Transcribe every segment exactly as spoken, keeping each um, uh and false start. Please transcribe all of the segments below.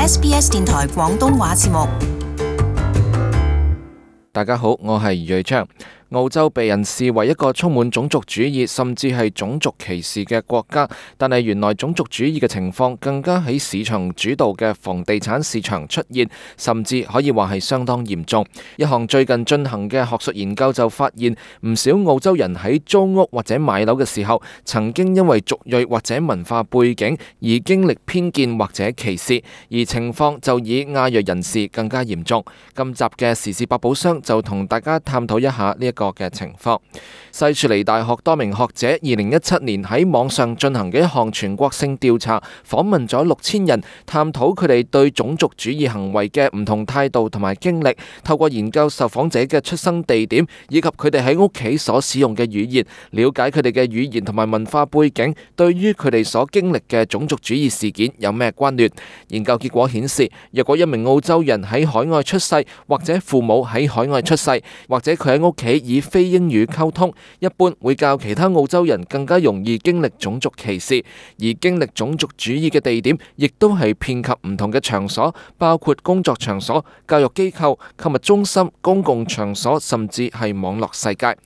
S B S 電台廣東話節目。大家好，我係余瑞昌。澳洲被人視為一個充滿種族主義甚至係種族歧視嘅國家，但係原來種族主義嘅情況更加喺市場主導嘅房地產市場出現，甚至可以話係相當嚴重。一項最近進行嘅學術研究就發現，唔少澳洲人喺租屋或者買樓嘅時候，曾經因為族裔或者文化背景而經歷偏見或者歧視，而情況就以亞裔人士更加嚴重。今集嘅時事百寶箱就同大家探討一下呢一個嘅情況。西雪梨大學多名學者二零一七年喺網上進行嘅一項全國性調查，訪問咗六千人，探討佢哋對種族主義行為嘅唔同態度同埋經歷，透過研究受訪者嘅出生地點以及佢哋喺屋企所使用嘅語言，了解佢哋嘅語言同埋文化背景對於佢哋所經歷嘅種族主義事件有咩關聯。研究結果顯示，若果一名澳洲人喺海外出世，或者父母喺海外出世，或者佢喺屋企以非英語溝通，一般會較其他澳洲人更加容易經歷種族歧視，而經歷種族主義嘅地點亦都係遍及唔同嘅場所，包括工作場所、教育機構、購物中心、公共場所，甚至係網絡世界。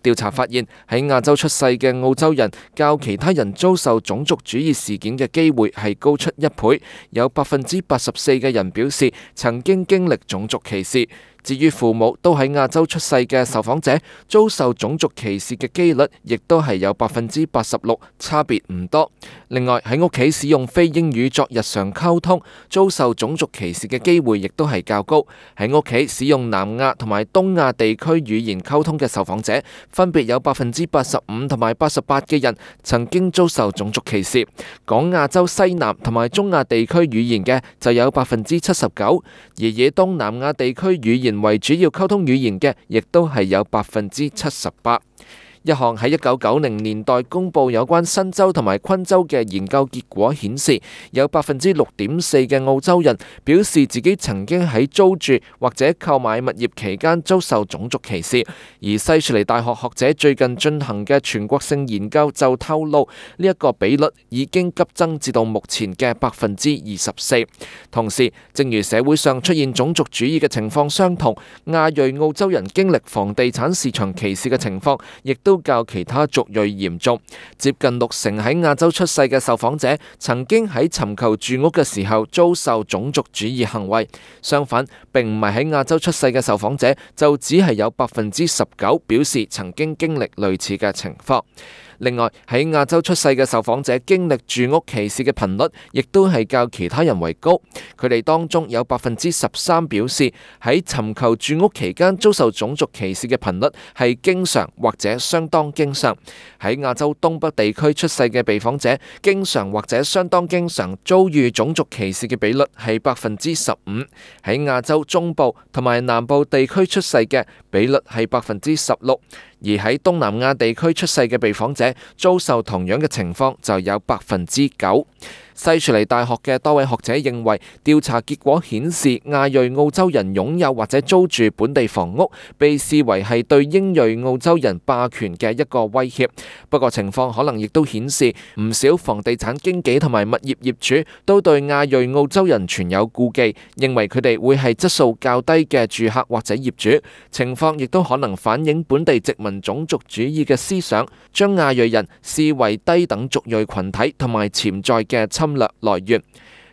調查發現，喺亞洲出世嘅澳洲人較其他人遭受種族主義事件嘅機會係高出一倍，有百分之八十四嘅人表示曾經經歷種族歧視。至於父母都喺亞洲出世嘅受訪者，遭受種族歧視嘅機率亦都係有百分之八十六，差別唔多。另外喺屋企使用非英語作日常溝通，遭受種族歧視嘅機會亦都係較高。喺屋企使用南亞同埋東亞地區語言溝通嘅受訪者，分別有百分之八十五同埋八十八嘅人曾經遭受種族歧視。講亞洲西南同埋中亞地區語言嘅就有百分之七十九，而以東南亞地區語言為主要溝通語言嘅，亦都係有百分之七十八。一項喺一九九零年代公佈有關新州同埋昆州嘅研究結果顯示，有百分之六點四嘅澳洲人表示自己曾經喺租住或者購買物業期間遭受種族歧視。而西雪梨大學學者最近進行嘅全國性研究就透露，呢一個比率已經急增至到目前嘅百分之二十四。同時，正如社會上出現種族主義嘅情況相同，亞裔澳洲人經歷房地產市場歧視嘅情況，亦都都較其他族裔嚴重。接近六成喺亞洲出世嘅受訪者曾經喺尋求住屋嘅時候遭受種族主義行為。相反，並唔係喺亞洲出世嘅受訪者就只係有百分之十九表示曾經經歷類似嘅情況。另外，喺亞洲出世嘅受訪者經歷住屋歧視嘅頻率，亦都係較其他人為高。佢哋當中有百分之十三表示喺尋求住屋期間遭受種族歧視嘅頻率係經常或者相當經常。喺亞洲東北地區出世嘅被訪者，經常或者相當經常遭遇種族歧視嘅比率係百分之十五。喺亞洲中部同埋南部地區出世嘅比率係百分之十六。而喺東南亞地區出世嘅被訪者遭受同樣嘅情況就有百分之九。西雪梨大學嘅多位學者認為，調查結果顯示亞裔澳洲人擁有或者租住本地房屋，被視為係對英裔澳洲人霸權嘅一個威脅。不過情況可能亦都顯示，唔少房地產經紀同埋物業業主都對亞裔澳洲人存有顧忌，認為佢哋會係質素較低嘅住客或者業主。情況亦都可能反映本地殖民種族主義嘅思想，將亞裔人視為低等族裔群體同埋潛在嘅侵略來源。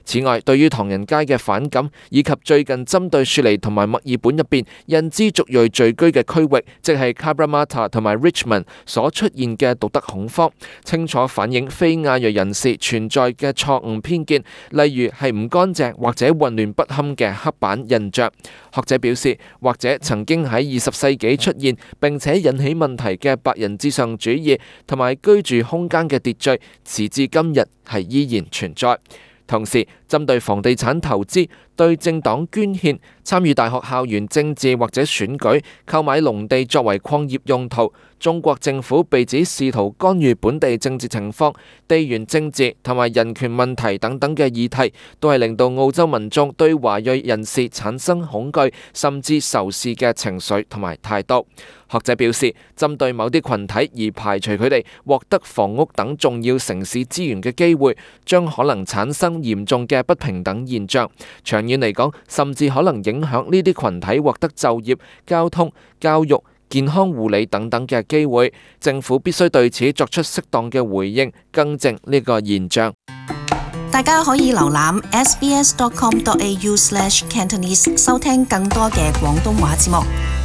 此外，對於唐人街嘅反感，以及最近針對雪梨同埋墨爾本入邊印支族裔聚居嘅區域，即係 Cabramatta 同埋 Richmond 所出現嘅道德恐慌，清楚反映非亞裔人士存在嘅錯誤偏見，例如係唔乾淨或者混亂不堪嘅黑板印象。學者表示，或者曾經喺二十世紀出現並且引起問題嘅白人至上主義同埋居住空間嘅秩序，時至今日係依然存在。同時，針對房地產投資、對政黨捐獻、參與大學校園政治或者選舉、購買農地作為礦業用途，中國政府被指試圖干預本地政治情況、地緣政治同埋人權問題等等嘅議題，都係令到澳洲民眾對華裔人士產生恐懼甚至仇視嘅情緒同埋態度。學者表示，針對某啲群體而排除佢哋獲得房屋等重要城市資源嘅機會，將可能產生嚴重嘅嘅不平等現象，長遠嚟講，甚至可能影響呢啲群體獲得就業、交通、教育、健康護理等等嘅機會。政府必須對此作出適當嘅回應，更正呢個現象。大家可以瀏覽 s b s dot com dot a u slash cantonese 收聽更多嘅廣東話節目。